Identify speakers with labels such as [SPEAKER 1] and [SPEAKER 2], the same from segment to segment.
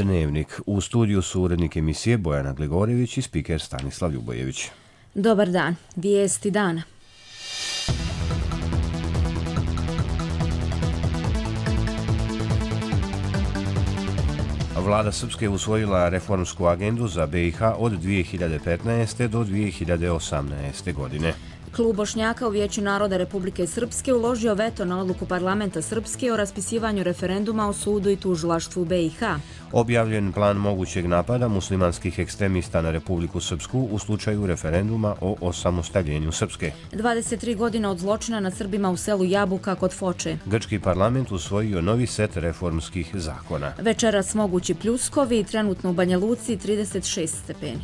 [SPEAKER 1] Dnevnik. U studiju su urednik emisije Bojana Gligorjević i spiker Stanislav Ljubojević.
[SPEAKER 2] Dobar dan. Vijesti dana.
[SPEAKER 1] Vlada Srpske usvojila reformsku agendu za BiH od 2015. do 2018. godine.
[SPEAKER 2] Klub Bošnjaka u Vijeću naroda Republike Srpske uložio veto na odluku parlamenta Srpske o raspisivanju referenduma o sudu i tužilaštvu BiH.
[SPEAKER 1] Objavljen plan mogućeg napada muslimanskih ekstremista na Republiku Srpsku u slučaju referenduma o osamostaljenju Srpske.
[SPEAKER 2] 23 godine od zločina nad Srbima u selu Jabuka kod Foče.
[SPEAKER 1] Grčki parlament usvojio novi set reformskih zakona.
[SPEAKER 2] Večeras mogući pljuskovi i trenutno u Banja Luci 36 stepeni.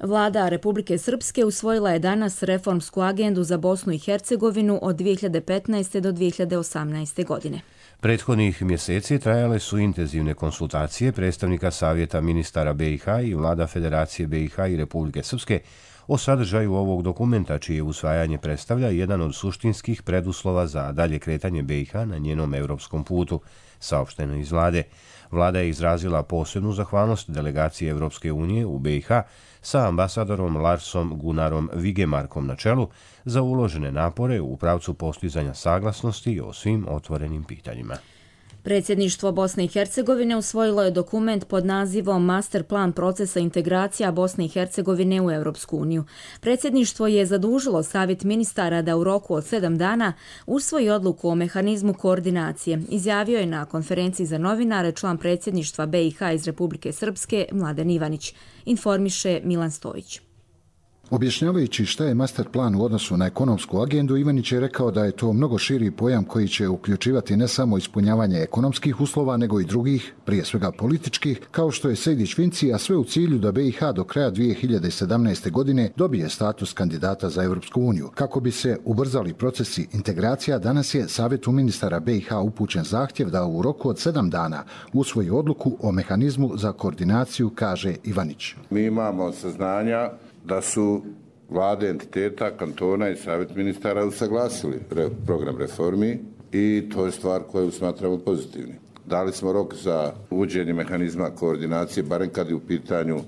[SPEAKER 2] Vlada Republike Srpske usvojila je danas reformsku agendu za Bosnu i Hercegovinu od 2015. do 2018. godine.
[SPEAKER 1] Prethodnih mjeseci trajale su intenzivne konsultacije predstavnika Savjeta ministara BiH i vlada Federacije BiH i Republike Srpske o sadržaju ovog dokumenta, čije usvajanje predstavlja jedan od suštinskih preduslova za dalje kretanje BiH na njenom europskom putu, saopšteno iz vlade. Vlada je izrazila posebnu zahvalnost delegaciji Evropske unije u BiH sa ambasadorom Larsom Gunarom Vigemarkom na čelu za uložene napore u pravcu postizanja saglasnosti o svim otvorenim pitanjima.
[SPEAKER 2] Predsjedništvo Bosne i Hercegovine usvojilo je dokument pod nazivom Master plan procesa integracija Bosne i Hercegovine u Europsku uniju. Predsjedništvo je zadužilo Savjet ministara da u roku od 7 dana usvoji odluku o mehanizmu koordinacije, izjavio je na konferenciji za novinare član predsjedništva BiH iz Republike Srpske Mladen Ivanić, informiše Milan Stojić.
[SPEAKER 3] Objašnjavajući šta je master plan u odnosu na ekonomsku agendu, Ivanić je rekao da je to mnogo širi pojam koji će uključivati ne samo ispunjavanje ekonomskih uslova, nego i drugih, prije svega političkih, kao što je Sejdić-Finci, a sve u cilju da BiH do kraja 2017. godine dobije status kandidata za Europsku uniju. Kako bi se ubrzali procesi integracija, danas je Savjetu ministara BiH upućen zahtjev da u roku od 7 dana usvoji odluku o mehanizmu za koordinaciju, kaže Ivanić.
[SPEAKER 4] Mi imamo saznanja da su vlade entiteta, kantona i savjet ministara usaglasili program reformi i to je stvar koju smatramo pozitivnim. Dali smo rok za uvođenje mehanizma koordinacije, barem kad je u pitanju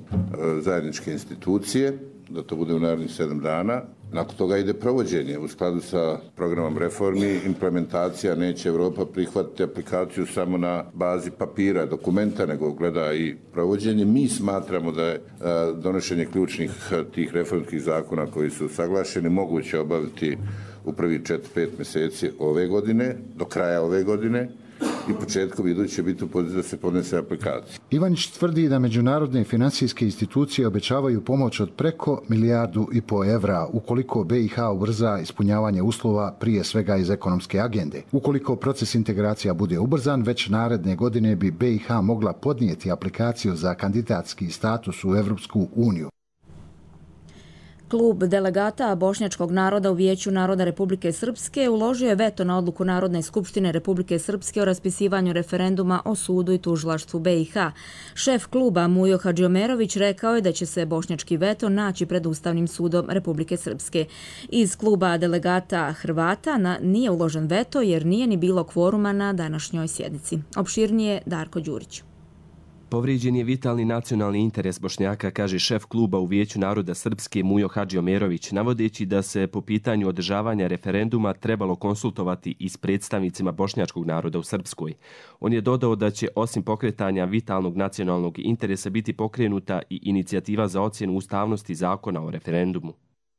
[SPEAKER 4] zajedničke institucije, da to bude u narednih 7 dana. Nakon toga ide provođenje u skladu sa programom reformi. Implementacija, neće Europa prihvatiti aplikaciju samo na bazi papira, dokumenta, nego gleda i provođenje. Mi smatramo da je donošenje ključnih tih reformskih zakona koji su usaglašeni moguće obaviti u prvi 4-5 mjeseci ove godine, do kraja ove godine, i početkom iduće biti u poziciji da se podnese aplikacija.
[SPEAKER 3] Ivanić tvrdi da međunarodne financijske institucije obećavaju pomoć od preko 1,5 milijardu evra ukoliko BiH ubrza ispunjavanje uslova, prije svega iz ekonomske agende. Ukoliko proces integracija bude ubrzan, već naredne godine bi BiH mogla podnijeti aplikaciju za kandidatski status u Evropsku uniju.
[SPEAKER 2] Klub delegata Bošnjačkog naroda u Vijeću naroda Republike Srpske uložio je veto na odluku Narodne skupštine Republike Srpske o raspisivanju referenduma o sudu i tužilaštvu BiH. Šef kluba Mujo Hadžiomerović rekao je da će se bošnjački veto naći pred Ustavnim sudom Republike Srpske. Iz kluba delegata Hrvata nije uložen veto jer nije ni bilo kvoruma na današnjoj sjednici. Opširnije Darko Đurić.
[SPEAKER 5] Povrijeđen je vitalni nacionalni interes Bošnjaka, kaže šef kluba u Vijeću naroda Srpske Mujo Hadžiomerović, navodeći da se po pitanju održavanja referenduma trebalo konsultovati i s predstavnicima bošnjačkog naroda u Srpskoj. On je dodao da će osim pokretanja vitalnog nacionalnog interesa biti pokrenuta i inicijativa za ocjenu ustavnosti zakona o referendumu.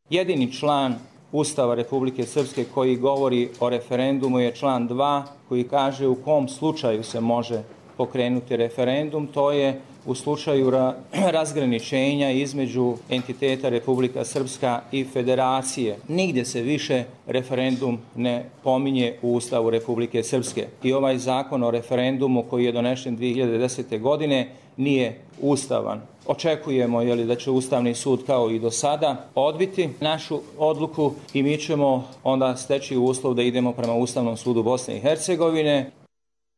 [SPEAKER 6] Jedini član Ustava Republike Srpske koji govori o referendumu je član 2 koji kaže u kom slučaju se može pokrenuti referendum, to je u slučaju razgraničenja između entiteta Republika Srpska i Federacije. Nigdje se više referendum ne pominje u Ustavu Republike Srpske. I ovaj zakon o referendumu koji je donešen 2010. godine nije ustavan. Očekujemo da će Ustavni sud kao i do sada odbiti našu odluku i mi ćemo onda steći uslov da idemo prema Ustavnom sudu Bosne i Hercegovine.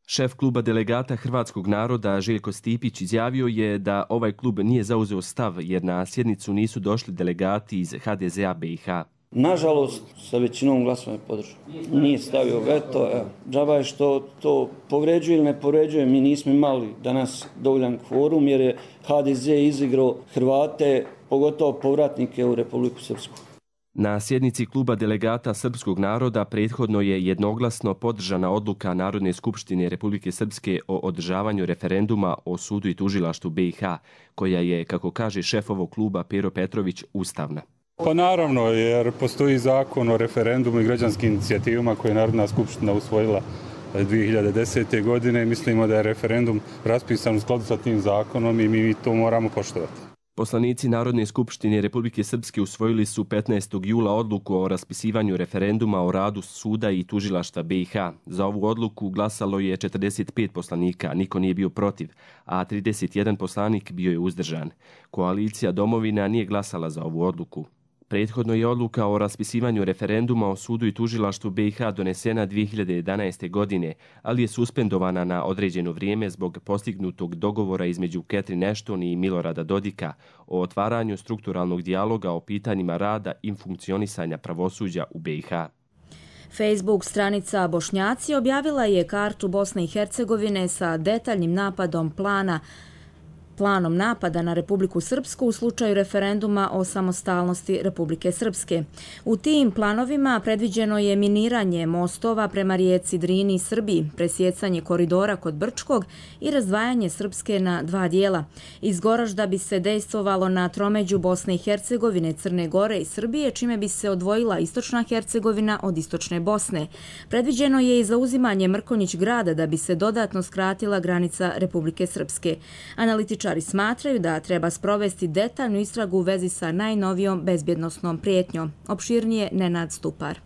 [SPEAKER 5] Šef kluba delegata hrvatskog naroda Željko Stipić izjavio je da ovaj klub nije zauzeo stav jer na sjednicu nisu došli delegati iz HDZ-a BiH.
[SPEAKER 7] Nažalost, sa većinom glasova je podržao. Nije stavio veto. Džaba je što to povređuje ili ne povređuje. Mi nismo imali danas dovoljan kvorum jer je HDZ izigrao Hrvate, pogotovo povratnike u Republiku Srpsku.
[SPEAKER 5] Na sjednici kluba delegata srpskog naroda prethodno je jednoglasno podržana odluka Narodne skupštine Republike Srpske o održavanju referenduma o sudu i tužilaštvu BiH, koja je, kako kaže šef ovog kluba Pero Petrović, ustavna.
[SPEAKER 8] Pa naravno, jer postoji zakon o referendumu i građanskim inicijativama koje je Narodna skupština usvojila 2010. godine. Mislimo da je referendum raspisan u skladu sa tim zakonom i mi to moramo poštovati.
[SPEAKER 5] Poslanici Narodne skupštine Republike Srpske usvojili su 15. jula odluku o raspisivanju referenduma o radu suda i tužilaštva BiH. Za ovu odluku glasalo je 45 poslanika, niko nije bio protiv, a 31 poslanik bio je uzdržan. Koalicija Domovina nije glasala za ovu odluku. Prethodno je odluka o raspisivanju referenduma o sudu i tužilaštvu BiH donesena 2011. godine, ali je suspendovana na određeno vrijeme zbog postignutog dogovora između Catherine Ashton i Milorada Dodika o otvaranju strukturalnog dijaloga o pitanjima rada i funkcionisanja pravosuđa u BiH.
[SPEAKER 2] Facebook stranica Bošnjaci objavila je kartu Bosne i Hercegovine sa detaljnim planom napada na Republiku Srpsku u slučaju referenduma o samostalnosti Republike Srpske. U tim planovima predviđeno je miniranje mostova prema rijeci Drini i Srbiji, presjecanje koridora kod Brčkog i razdvajanje Srpske na dva dijela. Iz Goražda bi se dejstvovalo na tromeđu Bosne i Hercegovine, Crne Gore i Srbije, čime bi se odvojila istočna Hercegovina od istočne Bosne. Predviđeno je i zauzimanje Mrkonjić grada da bi se dodatno skratila granica Republike Srpske. Analitičari smatraju da treba sprovesti detaljnu istragu u vezi sa najnovijom bezbjednosnom prijetnjom. Opširnije Nenad Stupar.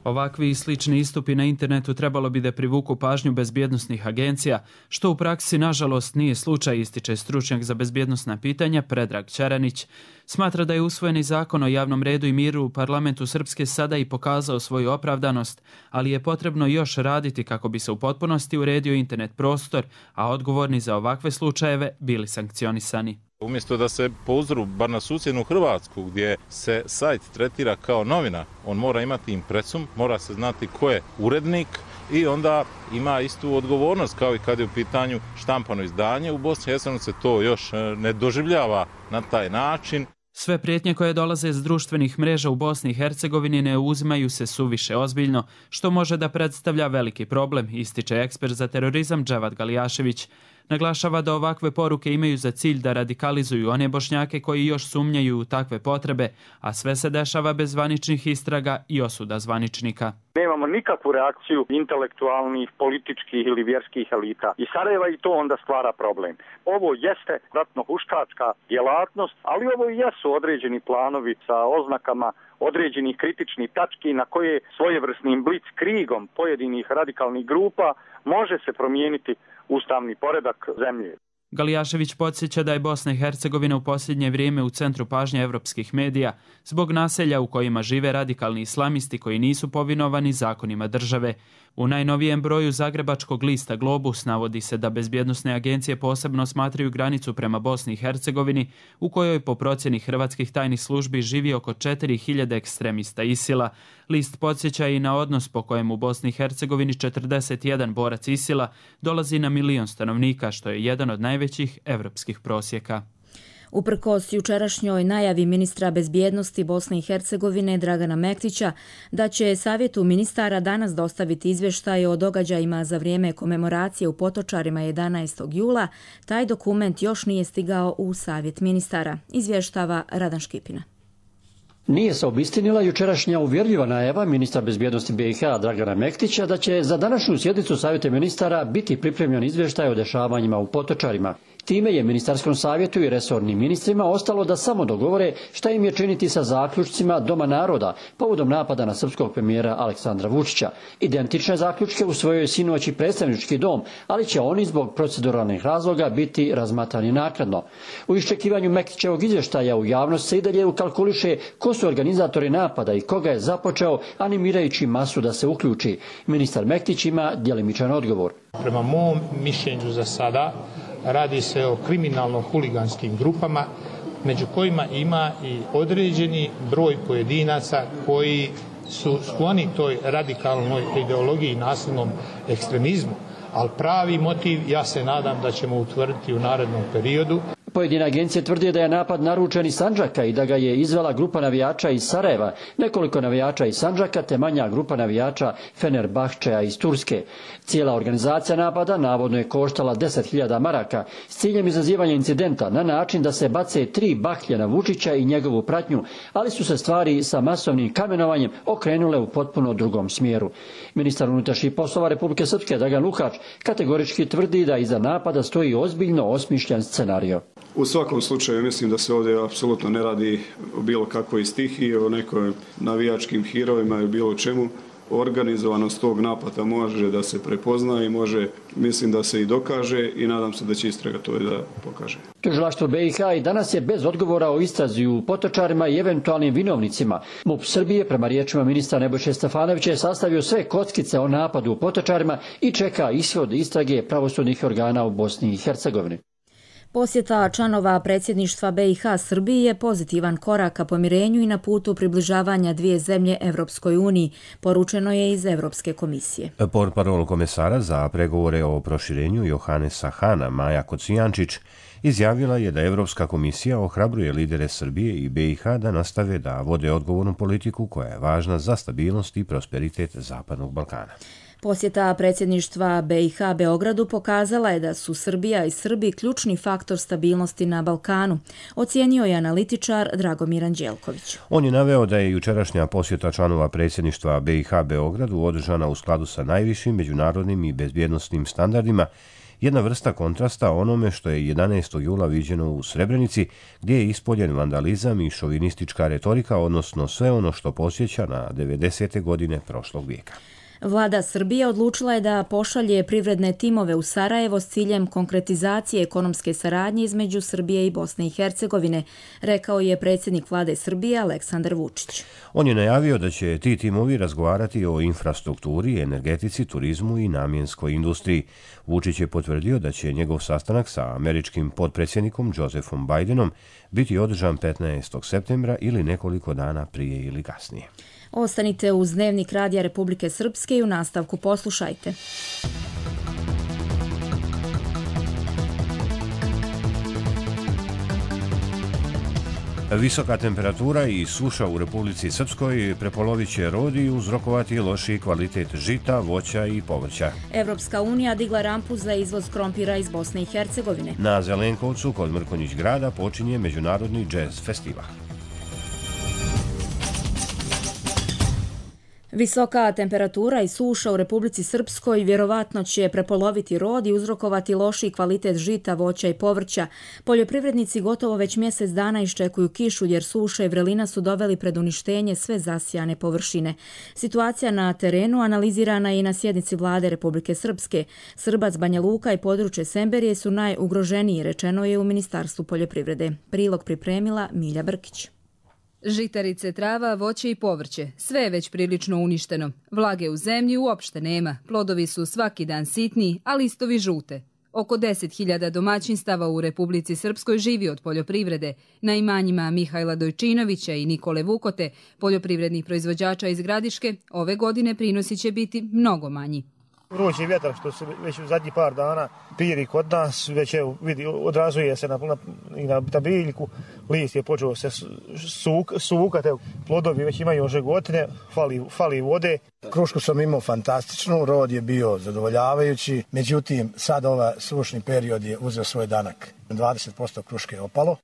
[SPEAKER 9] Ovakvi i slični istupi na internetu trebalo bi da privuku pažnju bezbjednosnih agencija, što u praksi nažalost nije slučaj, ističe stručnjak za bezbjednosna pitanja Predrag Čeranić. Smatra da je usvojeni zakon o javnom redu i miru u parlamentu Srpske sada i pokazao svoju opravdanost, ali je potrebno još raditi kako bi se u potpunosti uredio internet prostor, a odgovorni za ovakve slučajeve bili sankcionisani.
[SPEAKER 10] Umjesto da se po uzoru, bar na susjednu Hrvatsku, gdje se sajt tretira kao novina, on mora imati impresum, mora se znati ko je urednik i onda ima istu odgovornost kao i kad je u pitanju štampano izdanje. U Bosni i Hercegovini se to još ne doživljava na taj način.
[SPEAKER 9] Sve prijetnje koje dolaze iz društvenih mreža u Bosni i Hercegovini ne uzimaju se suviše ozbiljno, što može da predstavlja veliki problem, ističe ekspert za terorizam Dževad Galijašević. Naglašava da ovakve poruke imaju za cilj da radikalizuju one Bošnjake koji još sumnjaju u takve potrebe, a sve se dešava bez zvaničnih istraga i osuda zvaničnika.
[SPEAKER 11] Nemamo nikakvu reakciju intelektualnih, političkih ili vjerskih elita. I Sarajeva i to onda stvara problem. Ovo jeste ratno-huškačka djelatnost, ali ovo i jesu određeni planovi sa oznakama određenih kritičnih tački na koje svojevrsnim blitzkriegom pojedinih radikalnih grupa može se promijeniti ustavni poredak zemlje.
[SPEAKER 9] Galijašević podsjeća da je Bosna i Hercegovina u posljednje vrijeme u centru pažnje evropskih medija zbog naselja u kojima žive radikalni islamisti koji nisu povinovani zakonima države. U najnovijem broju zagrebačkog lista Globus navodi se da bezbjednosne agencije posebno smatraju granicu prema Bosni i Hercegovini, u kojoj po procjeni hrvatskih tajnih službi živi oko 4000 ekstremista ISIL-a. List podsjeća i na odnos po kojem u Bosni i Hercegovini 41 borac ISIL-a dolazi na 1 milion stanovnika, što je jedan od najvećih evropskih prosjeka.
[SPEAKER 2] Uprkos jučerašnjoj najavi ministra bezbjednosti Bosne i Hercegovine Dragana Mektića da će Savjetu ministara danas dostaviti izvještaj o događajima za vrijeme komemoracije u Potočarima 11. jula, taj dokument još nije stigao u Savjet ministara, izvještava Radan Škipina.
[SPEAKER 12] Nije se obistinila jučerašnja uvjerljiva najava ministra bezbjednosti BiH Dragana Mektića da će za današnju sjednicu Savjeta ministara biti pripremljen izvještaj o dešavanjima u Potočarima. Time je ministarskom savjetu i resornim ministrima ostalo da samo dogovore šta im je činiti sa zaključcima Doma naroda povodom napada na srpskog premijera Aleksandra Vučića. Identične zaključke usvojio je sinoć i predstavnički dom, ali će oni zbog proceduralnih razloga biti razmatrani naknadno. U iščekivanju Mektićevog izvještaja u javnost se i dalje ukalkuliše ko su organizatori napada i koga je započeo, animirajući masu da se uključi. Ministar Mektić ima djelimičan odgovor.
[SPEAKER 13] Prema mom mišljenju za sada radi se o kriminalno-huliganskim grupama među kojima ima i određeni broj pojedinaca koji su skloni toj radikalnoj ideologiji i nasilnom ekstremizmu, ali pravi motiv ja se nadam da ćemo utvrditi u narednom periodu.
[SPEAKER 12] Pojedine agencije tvrde da je napad naručen iz Sandžaka i da ga je izvela grupa navijača iz Sarajeva, nekoliko navijača iz Sandžaka te manja grupa navijača Fenerbahčeja iz Turske. Cijela organizacija napada navodno je koštala 10.000 maraka s ciljem izazivanja incidenta na način da se bace 3 baklje na Vučića i njegovu pratnju, ali su se stvari sa masovnim kamenovanjem okrenule u potpuno drugom smjeru. Ministar unutrašnjih poslova Republike Srpske Dragan Lukač kategorički tvrdi da iza napada stoji ozbiljno osmišljen scenario.
[SPEAKER 14] U svakom slučaju mislim da se ovdje apsolutno ne radi o bilo kakvoj stihiji, o nekoj navijačkim hirovima i bilo čemu. Organizovanost tog napada može da se prepozna i može, mislim da se i dokaže i nadam se da će istraga to da pokaže.
[SPEAKER 12] Tužilaštvo BiH i danas je bez odgovora o istrazi u Potočarima i eventualnim vinovnicima. MUP Srbije, prema riječima ministra Nebojše Stefanovića, je sastavio sve kockice o napadu u Potočarima i čeka ishod istrage pravosudnih organa u Bosni i Hercegovini.
[SPEAKER 2] Posjeta članova predsjedništva BiH Srbiji je pozitivan korak ka pomirenju i na putu približavanja dvije zemlje Evropskoj uniji, poručeno je iz Evropske komisije.
[SPEAKER 1] Portparol komesara za pregovore o proširenju Johanesa Hana, Maja Kocijančić, izjavila je da Evropska komisija ohrabruje lidere Srbije i BiH da nastave da vode odgovornu politiku koja je važna za stabilnost i prosperitet Zapadnog Balkana.
[SPEAKER 2] Posjeta predsjedništva BiH Beogradu pokazala je da su Srbija i Srbi ključni faktor stabilnosti na Balkanu, ocijenio je analitičar Dragomir Anđelković.
[SPEAKER 1] On je naveo da je jučerašnja posjeta članova predsjedništva BiH Beogradu održana u skladu sa najvišim međunarodnim i bezbjednosnim standardima, jedna vrsta kontrasta onome što je 11. jula viđeno u Srebrenici, gdje je ispoljen vandalizam i šovinistička retorika, odnosno sve ono što podsjeća na 90. godine prošlog vijeka.
[SPEAKER 2] Vlada Srbije odlučila je da pošalje privredne timove u Sarajevo s ciljem konkretizacije ekonomske saradnje između Srbije i Bosne i Hercegovine, rekao je predsjednik vlade Srbije Aleksandar Vučić.
[SPEAKER 1] On je najavio da će ti timovi razgovarati o infrastrukturi, energetici, turizmu i namjenskoj industriji. Vučić je potvrdio da će njegov sastanak sa američkim potpredsjednikom Josephom Bidenom biti održan 15. septembra ili nekoliko dana prije ili kasnije.
[SPEAKER 2] Ostanite uz Dnevnik Radija Republike Srpske i u nastavku poslušajte.
[SPEAKER 1] Visoka temperatura i suša u Republici Srpskoj prepolovit će rod i uzrokovati lošiji kvalitet žita, voća i povrća.
[SPEAKER 2] Evropska unija digla rampu za izvoz krompira iz Bosne i Hercegovine.
[SPEAKER 1] Na Zelenkovcu kod Mrkonjić grada počinje Međunarodni džez festival.
[SPEAKER 2] Visoka temperatura i suša u Republici Srpskoj vjerovatno će prepoloviti rod i uzrokovati lošiji kvalitet žita, voća i povrća. Poljoprivrednici gotovo već mjesec dana iščekuju kišu jer suša i vrelina su doveli pred uništenje sve zasijane površine. Situacija na terenu analizirana je i na sjednici vlade Republike Srpske. Srbac, Banja Luka i područje Semberije su najugroženiji, rečeno je u Ministarstvu poljoprivrede. Prilog pripremila Milja Brkić.
[SPEAKER 15] Žitarice, trava, voće i povrće, sve je već prilično uništeno. Vlage u zemlji uopšte nema, plodovi su svaki dan sitniji, a listovi žute. Oko 10.000 domaćinstava u Republici Srpskoj živi od poljoprivrede. Na imanjima Mihajla Dojčinovića i Nikole Vukote, poljoprivrednih proizvođača iz Gradiške, ove godine prinosi će biti mnogo manji.
[SPEAKER 16] Vrući vjetar što se već u zadnjih par dana piri kod nas, već vidi, odrazuje se na biljku, list je počeo se sukati, plodovi već imaju žegotine, fali vode.
[SPEAKER 17] Krušku sam imao fantastičnu, rod je bio zadovoljavajući, međutim sad ovaj sušni period je uzeo svoj danak. 20% kruške je opalo.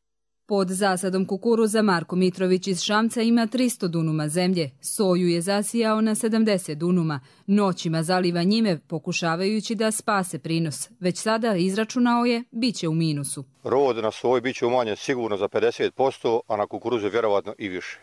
[SPEAKER 15] Pod zasadom kukuruza Marko Mitrović iz Šamca ima 300 dunuma zemlje. Soju je zasijao na 70 dunuma. Noćima zaliva njime pokušavajući da spase prinos. Već sada izračunao je, bit će u minusu.
[SPEAKER 18] Rod na soji bit će umanjen sigurno za 50%, a na kukuruzu vjerovatno i više.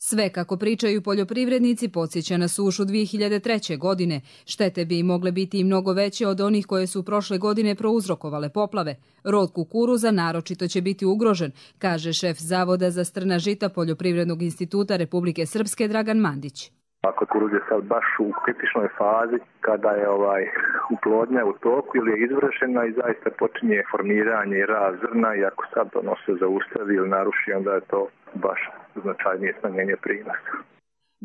[SPEAKER 15] Sve, kako pričaju poljoprivrednici, podsjeća na sušu 2003. godine. Štete bi mogle biti i mnogo veće od onih koje su prošle godine prouzrokovale poplave. Rod kukuruza naročito će biti ugrožen, kaže šef Zavoda za strna žita Poljoprivrednog instituta Republike Srpske Dragan Mandić.
[SPEAKER 19] A kukuruz je sad baš u kritičnoj fazi kada je uplodnja u toku ili je izvršena i zaista počinje formiranje i rast zrna i ako sad ono se zaustavi ili naruši, onda je to baš značajnije smanjenje prinosa.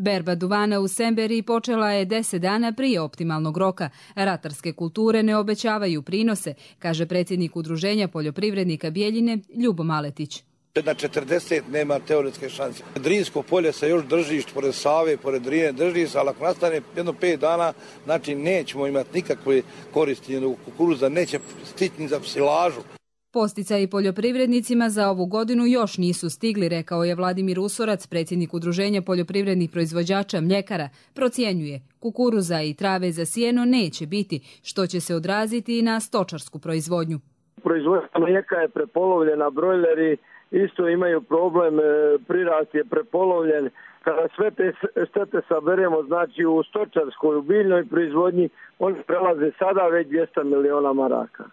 [SPEAKER 15] Berba duvana u Semberiji počela je 10 dana prije optimalnog roka. Ratarske kulture ne obećavaju prinose, kaže predsjednik Udruženja poljoprivrednika Bijeljine Ljubo Maletić.
[SPEAKER 20] Na 40 nema teoretske šanse. Drinsko polje se još drži, pored Save, pored Drine drži se, ali ako nastane jedno 5 dana, znači nećemo imati nikakve koristi, kukuruza neće stići ni za silažu.
[SPEAKER 15] Posticaji poljoprivrednicima za ovu godinu još nisu stigli, rekao je Vladimir Usorac, predsjednik Udruženja poljoprivrednih proizvođača mljekara. Procjenjuje, kukuruza i trave za sjeno neće biti, što će se odraziti i na stočarsku proizvodnju.
[SPEAKER 21] Proizvodnja mlijeka je prepolovljena, brojleri isto imaju problem, prirast je prepolovljen. Kada sve te štete saberemo, znači u stočarskoj, u biljnoj proizvodnji, oni prelaze sada već 200 miliona maraka.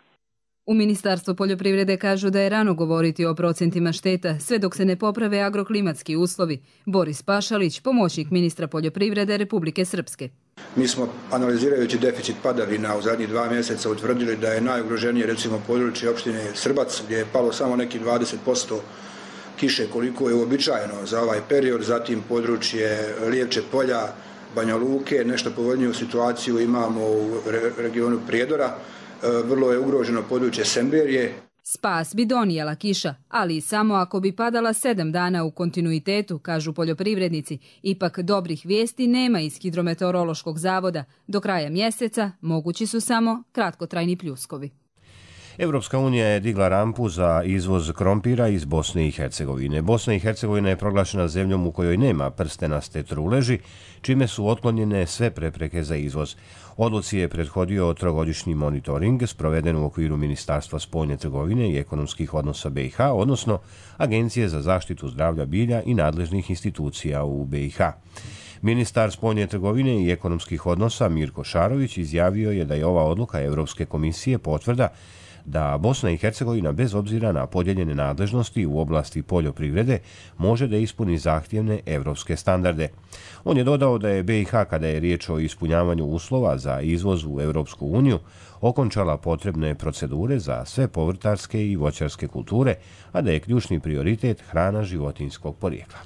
[SPEAKER 15] U Ministarstvu poljoprivrede kažu da je rano govoriti o procentima šteta, sve dok se ne poprave agroklimatski uslovi. Boris Pašalić, pomoćnik ministra poljoprivrede Republike Srpske.
[SPEAKER 22] Mi smo, analizirajući deficit padavina u zadnjih 2 mjeseca, utvrdili da je najugroženije recimo područje opštine Srbac, gdje je palo samo neki 20% kiše koliko je uobičajeno za ovaj period, zatim područje Lijevče polja, Banja Luke, nešto povoljniju situaciju imamo u regionu Prijedora, vrlo je ugroženo područje Semberije.
[SPEAKER 15] Spas bi donijela kiša, ali samo ako bi padala 7 dana u kontinuitetu, kažu poljoprivrednici. Ipak dobrih vijesti nema iz Hidrometeorološkog zavoda. Do kraja mjeseca mogući su samo kratkotrajni pljuskovi.
[SPEAKER 1] Evropska unija je digla rampu za izvoz krompira iz Bosne i Hercegovine. Bosna i Hercegovina je proglašena zemljom u kojoj nema prstenaste truleži, čime su otklonjene sve prepreke za izvoz. Odluci je prethodio 3-godišnji monitoring sproveden u okviru Ministarstva spoljne trgovine i ekonomskih odnosa BiH, odnosno Agencije za zaštitu zdravlja bilja i nadležnih institucija u BiH. Ministar spoljne trgovine i ekonomskih odnosa Mirko Šarović izjavio je da je ova odluka Evropske komisije potvrda da Bosna i Hercegovina bez obzira na podijeljene nadležnosti u oblasti poljoprivrede može da ispuni zahtjevne evropske standarde. On je dodao da je BiH, kada je riječ o ispunjavanju uslova za izvoz u Evropsku uniju, okončala potrebne procedure za sve povrtarske i voćarske kulture, a da je ključni prioritet hrana životinjskog porijekla.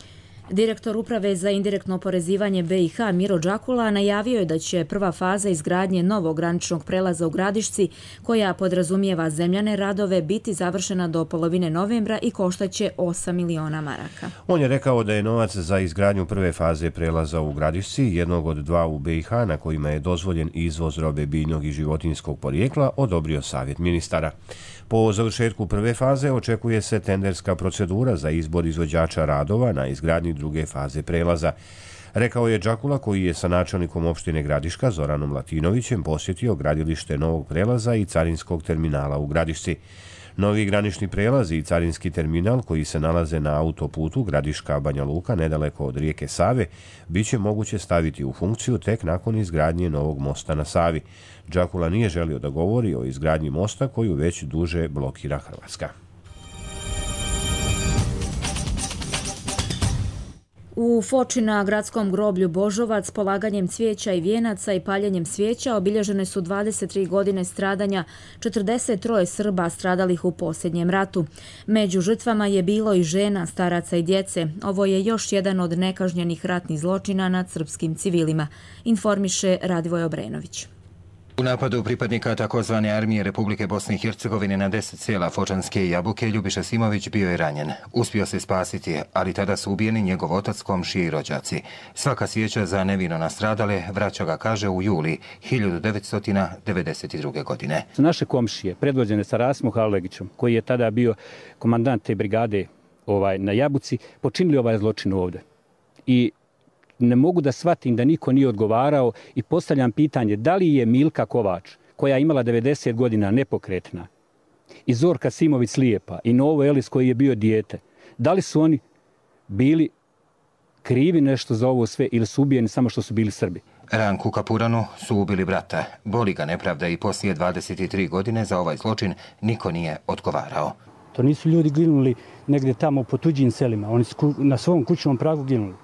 [SPEAKER 2] Direktor Uprave za indirektno oporezivanje BiH Miro Đakula najavio je da će prva faza izgradnje novog graničnog prelaza u Gradišci, koja podrazumijeva zemljane radove, biti završena do polovine novembra i koštaće 8 miliona maraka.
[SPEAKER 1] On je rekao da je novac za izgradnju prve faze prelaza u Gradišci, jednog od 2 u BiH na kojima je dozvoljen izvoz robe biljnog i životinjskog porijekla, odobrio Savjet ministara. Po završetku prve faze očekuje se tenderska procedura za izbor izvođača radova na izgradnji druge faze prelaza. Rekao je Đakula, koji je sa načelnikom opštine Gradiška Zoranom Latinovićem posjetio gradilište novog prelaza i carinskog terminala u Gradišci. Novi granični prelaz i carinski terminal, koji se nalaze na autoputu Gradiška-Banja Luka nedaleko od rijeke Save, bit će moguće staviti u funkciju tek nakon izgradnje novog mosta na Savi. Đakula nije želio da govori o izgradnji mosta koju već duže blokira Hrvatska.
[SPEAKER 2] U Foči na gradskom groblju Božovac polaganjem cvijeća i vijenaca i paljenjem svijeća obilježene su 23 godine stradanja 43 Srba stradalih u posljednjem ratu. Među žrtvama je bilo i žena, staraca i djece. Ovo je još jedan od nekažnjenih ratnih zločina nad srpskim civilima, informiše Radivoj Obrenović.
[SPEAKER 23] U napadu pripadnika takozvane armije Republike Bosne i Hercegovine na 10 sela Fočanske i Jabuke Ljubiša Simović bio je ranjen. Uspio se spasiti, ali tada su ubijeni njegov otac, komšije i rođaci. Svaka sjeća za nevino nastradale vraća ga, kaže, u juli 1992. godine.
[SPEAKER 24] Naše komšije, predvođene sa Rasimom Halegićem, koji je tada bio komandant te brigade na Jabuci, počinili ovaj zločin ovdje. I ne mogu da shvatim da niko nije odgovarao i postavljam pitanje da li je Milka Kovač, koja je imala 90 godina nepokretna, i Zorka Simović slijepa i Novo Elis koji je bio dijete, da li su oni bili krivi nešto za ovo sve ili su ubijeni samo što su bili Srbi?
[SPEAKER 23] Ranku Kapuranu su ubili brata. Boli ga nepravda i poslije 23 godine za ovaj zločin niko nije odgovarao.
[SPEAKER 24] To nisu ljudi ginuli negdje tamo po tuđim selima, oni su na svom kućnom pragu ginuli.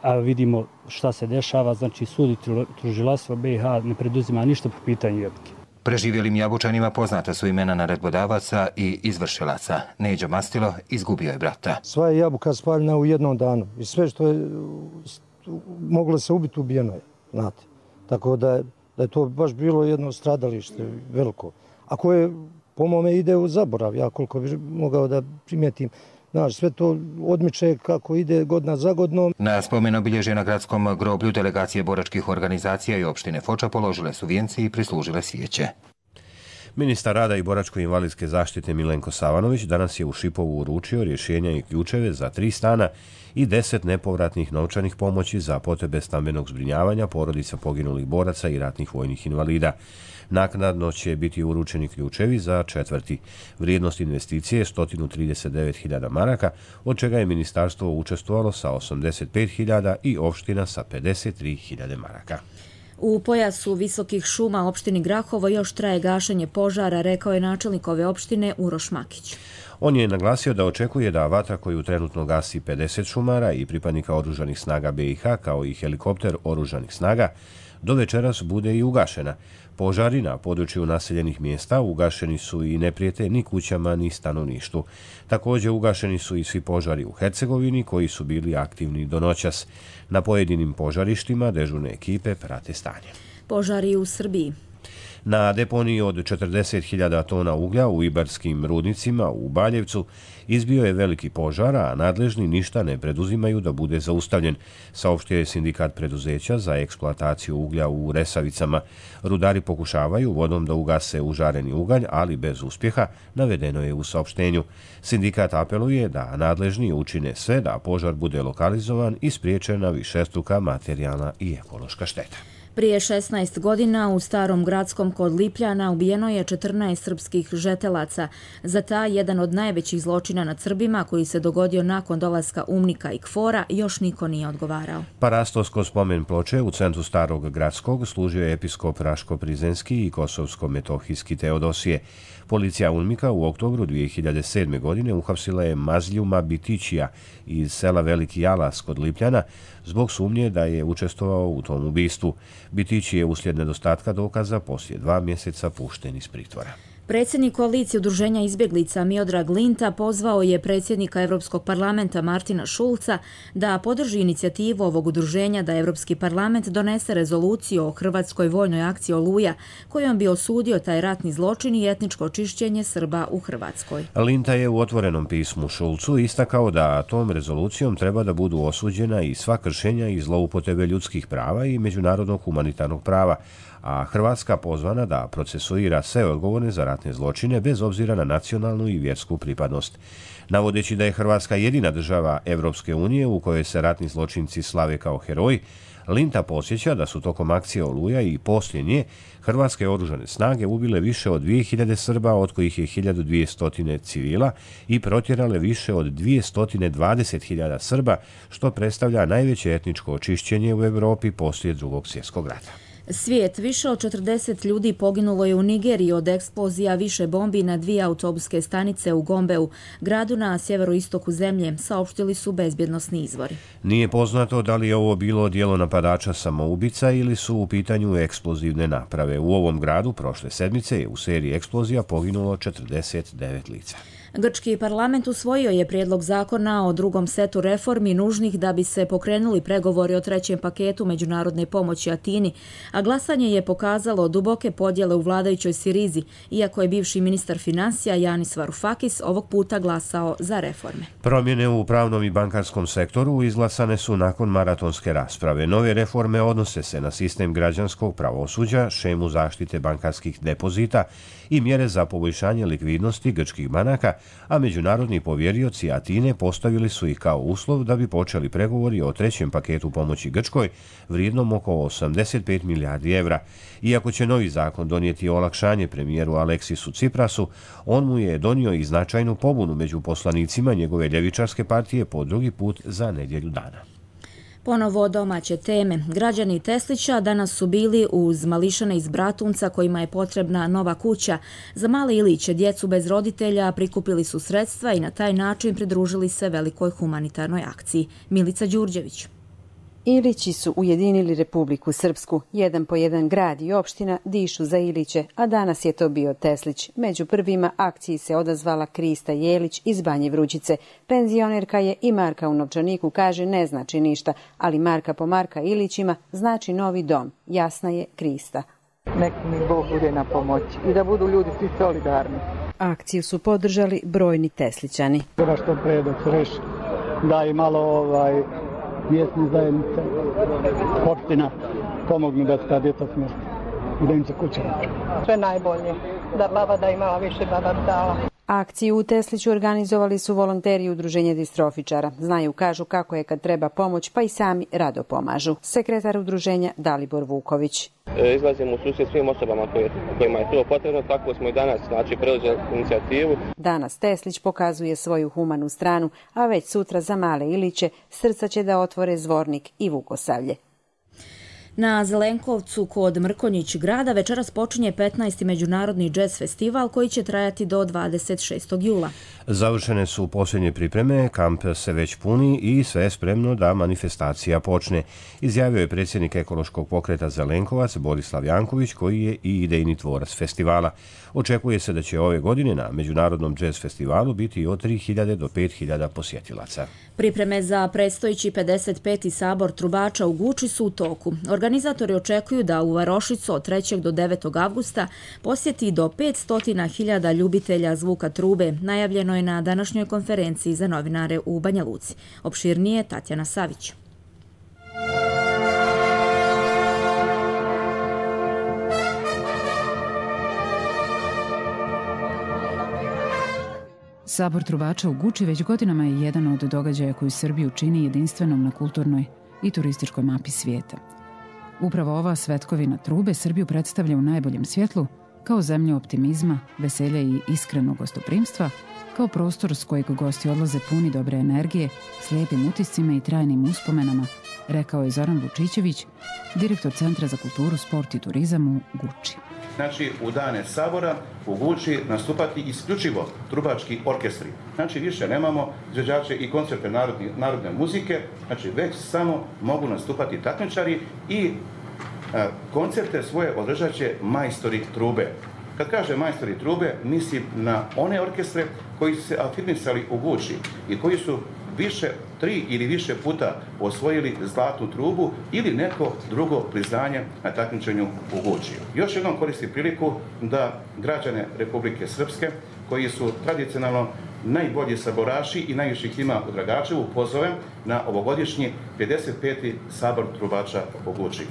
[SPEAKER 24] a vidimo šta se dešava, znači sud i tužilaštvo BiH ne preduzima ništa po pitanju Jabuke.
[SPEAKER 23] Preživjelim Jabučanima poznata su imena naredbodavaca i izvršilaca. Neđo Mastilo izgubio je brata.
[SPEAKER 3] Sva je Jabuka spaljena u jednom danu i sve što je moglo se ubiti ubijeno je, znate. Tako da je to baš bilo jedno stradalište veliko. A koje po mome ide u zaborav, ja koliko bi mogao da primijetim. Znaš, sve to odmiče kako ide godina za godinom.
[SPEAKER 23] Na spomen obilježje na gradskom groblju delegacije boračkih organizacija i opštine Foča položile su vijence i prislužile svijeće.
[SPEAKER 1] Ministar rada i boračko-invalidske zaštite Milenko Savanović danas je u Šipovu uručio rješenja i ključeve za 3 stana i 10 nepovratnih novčanih pomoći za potrebe stambenog zbrinjavanja porodica poginulih boraca i ratnih vojnih invalida. Naknadno će biti uručeni ključevi za 4. Vrijednost investicije je 139.000 maraka, od čega je ministarstvo učestvovalo sa 85.000 i opština sa 53.000 maraka.
[SPEAKER 2] U pojasu visokih šuma opštini Grahovo još traje gašenje požara, rekao je načelnik ove opštine Uroš Makić.
[SPEAKER 1] On je naglasio da očekuje da vatra koju trenutno gasi 50 šumara i pripadnika oružanih snaga BiH kao i helikopter oružanih snaga do večeras bude i ugašena. Požari na području naseljenih mjesta ugašeni su i ne prijete ni kućama ni stanovništvu. Također ugašeni su i svi požari u Hercegovini koji su bili aktivni do noćas. Na pojedinim požarištima dežurne ekipe prate stanje.
[SPEAKER 2] Požari u Srbiji.
[SPEAKER 1] Na deponiji od 40.000 tona uglja u Ibarskim rudnicima u Baljevcu izbio je veliki požar, a nadležni ništa ne preduzimaju da bude zaustavljen, saopštio je sindikat preduzeća za eksploataciju uglja u Resavicama. Rudari pokušavaju vodom da ugase užareni ugalj, ali bez uspjeha, navedeno je u saopštenju. Sindikat apeluje da nadležni učine sve da požar bude lokalizovan i spriječena višestruka materijalna i ekološka šteta.
[SPEAKER 2] Prije 16 godina u Starom Gradskom kod Lipljana ubijeno je 14 srpskih žetelaca. Za taj jedan od najvećih zločina nad Srbima koji se dogodio nakon dolaska UMNIK-a i KFOR-a još niko nije odgovarao.
[SPEAKER 1] Parastovsko spomen ploče u centru Starog Gradskog služio je episkop Raško-Prizenski i Kosovsko-Metohijski Teodosije. Policija UMNIK-a u oktobru 2007. godine uhapsila je Mazljuma Bitićija iz sela Veliki Jalas kod Lipljana zbog sumnje da je učestvovao u tom ubistvu. Bitić je uslijed nedostatka dokaza poslije 2 mjeseca pušten iz pritvora.
[SPEAKER 2] Predsjednik koalicije udruženja izbjeglica Miodrag Linta pozvao je predsjednika Europskog parlamenta Martina Šulca da podrži inicijativu ovog udruženja da Europski parlament donese rezoluciju o hrvatskoj vojnoj akciji Oluja kojom bi osudio taj ratni zločin i etničko čišćenje Srba u Hrvatskoj.
[SPEAKER 1] Linta je u otvorenom pismu Šulcu istakao da tom rezolucijom treba da budu osuđena i sva kršenja i zloupotrebe ljudskih prava i međunarodnog humanitarnog prava, a Hrvatska pozvana da procesuira sve odgovorne za ratne zločine bez obzira na nacionalnu i vjersku pripadnost. Navodeći da je Hrvatska jedina država Evropske unije u kojoj se ratni zločinci slave kao heroji, Linta podsjeća da su tokom akcije Oluja i poslije nje hrvatske oružane snage ubile više od 2000 Srba, od kojih je 1200 civila, i protjerale više od 220.000 Srba, što predstavlja najveće etničko očišćenje u Europi poslije Drugog svjetskog rata.
[SPEAKER 2] Svijet, više od 40 ljudi poginulo je u Nigeriji od eksplozija više bombi na 2 autobuske stanice u Gombeu, gradu na sjeveroistoku zemlje, saopštili su bezbjednosni izvori.
[SPEAKER 1] Nije poznato da li je ovo bilo djelo napadača samoubica ili su u pitanju eksplozivne naprave. U ovom gradu prošle sedmice je u seriji eksplozija poginulo 49 lica.
[SPEAKER 2] Grčki parlament usvojio je prijedlog zakona o drugom setu reformi nužnih da bi se pokrenuli pregovori o trećem paketu međunarodne pomoći Atini, a glasanje je pokazalo duboke podjele u vladajućoj Sirizi, iako je bivši ministar financija Janis Varoufakis ovog puta glasao za reforme.
[SPEAKER 1] Promjene u pravnom i bankarskom sektoru izglasane su nakon maratonske rasprave. Nove reforme odnose se na sistem građanskog pravosuđa, šemu zaštite bankarskih depozita i mjere za poboljšanje likvidnosti grčkih banaka, a međunarodni povjerioci Atine postavili su ih kao uslov da bi počeli pregovori o trećem paketu pomoći Grčkoj vrijednom oko 85 milijardi evra. Iako će novi zakon donijeti olakšanje premijeru Aleksisu Tsiprasu, on mu je donio i značajnu pobunu među poslanicima njegove ljevičarske partije po drugi put za nedjelju dana.
[SPEAKER 2] Ponovo domaće teme. Građani Teslića danas su bili uz mališane iz Bratunca kojima je potrebna nova kuća. Za male Iliće, djecu bez roditelja, prikupili su sredstva i na taj način pridružili se velikoj humanitarnoj akciji. Milica Đurđević.
[SPEAKER 4] Ilići su ujedinili Republiku Srpsku. Jedan po jedan grad i opština dišu za Iliće, a danas je to bio Teslić. Među prvima akciji se odazvala Krista Jelić iz Banje Vrućice. Penzionerka je i marka u novčaniku, kaže ne znači ništa, ali marka po marka Ilićima znači novi dom. Jasna je Krista.
[SPEAKER 6] Nek mi Bog bude na pomoći i da budu ljudi svi solidarni.
[SPEAKER 4] Akciju su podržali brojni Teslićani.
[SPEAKER 7] Treba što pre da se reši, da i malo mjesne zajednice, opština pomognu da se ta djeca smjesti i da im se kuća napravi.
[SPEAKER 6] Sve najbolje, da baba da imala više, baba dala.
[SPEAKER 4] Akciju u Tesliću organizovali su volonteri Udruženja distrofičara. Znaju, kažu kako je kad treba pomoć, pa i sami rado pomažu. Sekretar udruženja Dalibor Vuković.
[SPEAKER 8] Izlazimo u susret svim osobama kojima je to potrebno, tako smo i danas preuzeli inicijativu.
[SPEAKER 4] Danas Teslić pokazuje svoju humanu stranu, a već sutra za male Iliće srca će da otvore Zvornik i Vukosavlje.
[SPEAKER 2] Na Zelenkovcu kod Mrkonjić grada večeras počinje 15. međunarodni džez festival koji će trajati do 26. jula.
[SPEAKER 1] Završene su posljednje pripreme, kamp se već puni i sve je spremno da manifestacija počne, izjavio je predsjednik ekološkog pokreta Zelenkovac Borislav Janković, koji je i idejni tvorac festivala. Očekuje se da će ove godine na međunarodnom džez festivalu biti od 3.000 do 5.000 posjetilaca.
[SPEAKER 2] Pripreme za predstojeći 55. sabor trubača u Guči su u toku. Organizatori očekuju da u Varošicu od 3. do 9. avgusta posjeti do 500.000 ljubitelja zvuka trube, najavljeno je na današnjoj konferenciji za novinare u Banja Luci. Opširnije Tatjana Savić.
[SPEAKER 25] Sabor trubača u Guči već godinama je jedan od događaja koji Srbiju čini jedinstvenom na kulturnoj i turističkoj mapi svijeta. Upravo ova svetkovina trube Srbiju predstavlja u najboljem svjetlu kao zemlju optimizma, veselja i iskrenog gostoprimstva, kao prostor s kojeg gosti odlaze puni dobre energije, s lijepim utiscima i trajnim uspomenama, rekao je Zoran Vučićević, direktor Centra za kulturu, sport i turizam u Guči.
[SPEAKER 26] Znači, u dane sabora u Guči nastupati isključivo trubački orkestri. Znači, više nemamo izvođače i koncerte narodne muzike, znači već samo mogu nastupati takmičari i koncerte svoje održat će majstori trube. Kad kaže majstori trube, mislim na one orkestre koji su se afirmisali u Guči i koji su 3 ili više puta osvojili zlatnu trubu ili neko drugo priznanje na takmičenju u Guči. Još jednom koristim priliku da građane Republike Srpske, koji su tradicionalno najbolji saboraši i najviše ih ima u Dragačevu, pozovem na ovogodišnji 55. sabor trubača u Guči.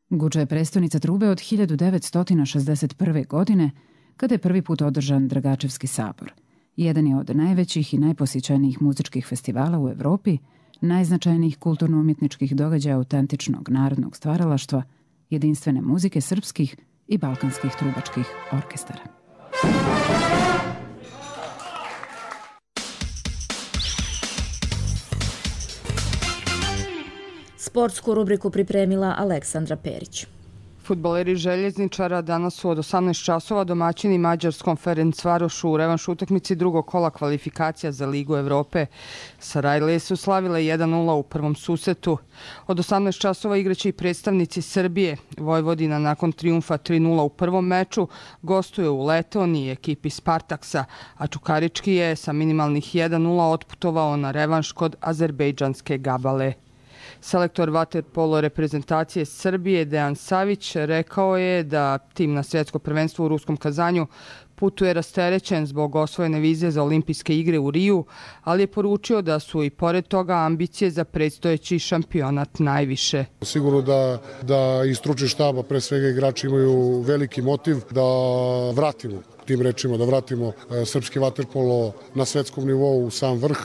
[SPEAKER 25] Guča je prestonica trube od 1961. godine, kada je prvi put održan Dragačevski sabor. Jedan je od najvećih i najposjećenijih muzičkih festivala u Evropi, najznačajnijih kulturno-umjetničkih događaja autentičnog narodnog stvaralaštva, jedinstvene muzike srpskih i balkanskih trubačkih orkestara.
[SPEAKER 2] Sportsku rubriku pripremila Aleksandra Perić.
[SPEAKER 27] Fudbaleri Željezničara danas su od 18 časova domaćini mađarskom Ferencvarošu u revanš utakmici drugog kola kvalifikacija za Ligu Evrope. Sarajlije su slavile 1-0 u prvom susretu. Od 18 časova igraće i predstavnici Srbije. Vojvodina nakon trijumfa 3-0 u prvom meču gostuje u Letoniji ekipi Spartaksa, a Čukarički je sa minimalnih 1-0 otputovao na revanš kod azerbejdžanske Gabale. Selektor vaterpolo reprezentacije Srbije Dejan Savić rekao je da tim na svjetsko prvenstvo u ruskom Kazanju putuje rasterećen zbog osvojene vize za olimpijske igre u Riju, ali je poručio da su i pored toga ambicije za predstojeći šampionat najviše.
[SPEAKER 28] Sigurno da i stručni štab, a pre svega igrači imaju veliki motiv da vratimo, tim rečima, da vratimo srpski vaterpolo na svjetskom nivou u sam vrh.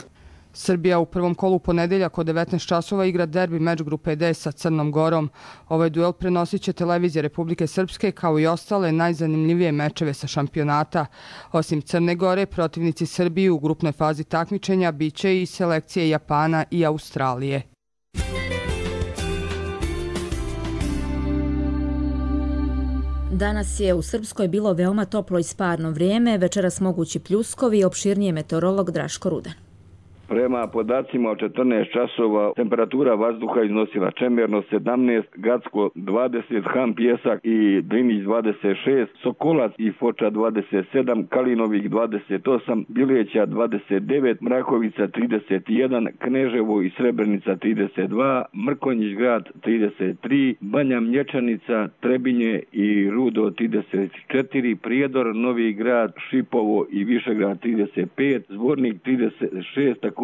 [SPEAKER 27] Srbija u prvom kolu ponedeljak od 19 časova igra derbi meč grupe D sa Crnom Gorom. Ovaj duel prenosit će televizija Republike Srpske kao i ostale najzanimljivije mečeve sa šampionata. Osim Crne Gore, protivnici Srbije u grupnoj fazi takmičenja biće i selekcije Japana i Australije.
[SPEAKER 2] Danas je u Srpskoj bilo veoma toplo i sparno vrijeme, večeras mogući pljuskovi, opširnije meteorolog Draško Rudan.
[SPEAKER 5] Prema podacima od 14 časova temperatura vazduha iznosila Čemerno 17, Gacko 20, Han Pjesak i Drinić 26, Sokolac i Foča 27, Kalinovik 28, Bileća 29, Mrakovica 31, Kneževo i Srebrenica 32, Mrkonjić grad 33, Banja Mlječanica, Trebinje i Rudo 34, Prijedor, Novi grad, Šipovo i Višegrad 35, Zvornik 36, također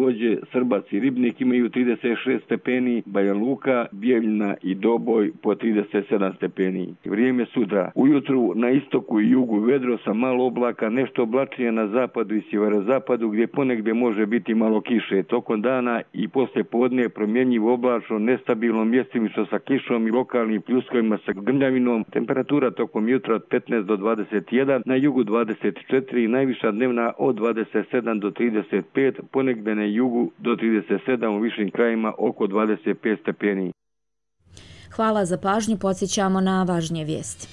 [SPEAKER 5] Srbac i Ribnik imaju 36 stepeni, Banja Luka, Bijeljina i Doboj po 37 stepeni. Vrijeme sutra. Ujutru na istoku i jugu vedro sa malo oblaka, nešto oblačnije na zapadu i sjeverozapadu gdje ponegdje može biti malo kiše. Tokom dana i poslije podne promjenjivo oblačno, nestabilno, mjestimično sa kišom i lokalnim pljuskovima sa grmljavinom. Temperatura tokom jutra od 15 do 21, na jugu 24, najviša dnevna od 27 do 35, ponegdje na jugu do 37, u višim krajima oko 25 stepeni.
[SPEAKER 2] Hvala za pažnju, podsjećamo na važnije vijesti.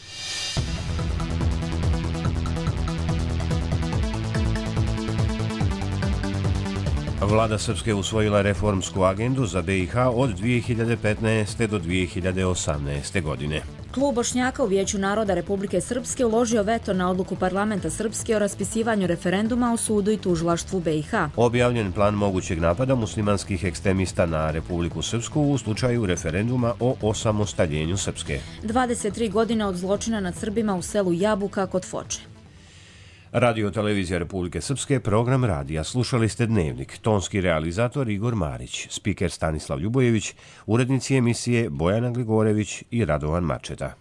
[SPEAKER 1] Vlada Srpske usvojila reformsku agendu za BiH od 2015. do 2018. godine.
[SPEAKER 2] Klub Bošnjaka u Vijeću naroda Republike Srpske uložio veto na odluku parlamenta Srpske o raspisivanju referenduma o sudu i tužilaštvu BiH.
[SPEAKER 1] Objavljen plan mogućeg napada muslimanskih ekstremista na Republiku Srpsku u slučaju referenduma o osamostaljenju Srpske.
[SPEAKER 2] 23 godine od zločina nad Srbima u selu Jabuka kod Foče.
[SPEAKER 1] Radio Televizija Republike Srpske, program radija. Slušali ste Dnevnik. Tonski realizator Igor Marić, spiker Stanislav Ljubojević, urednici emisije Bojana Gligorević i Radovan Mačeta.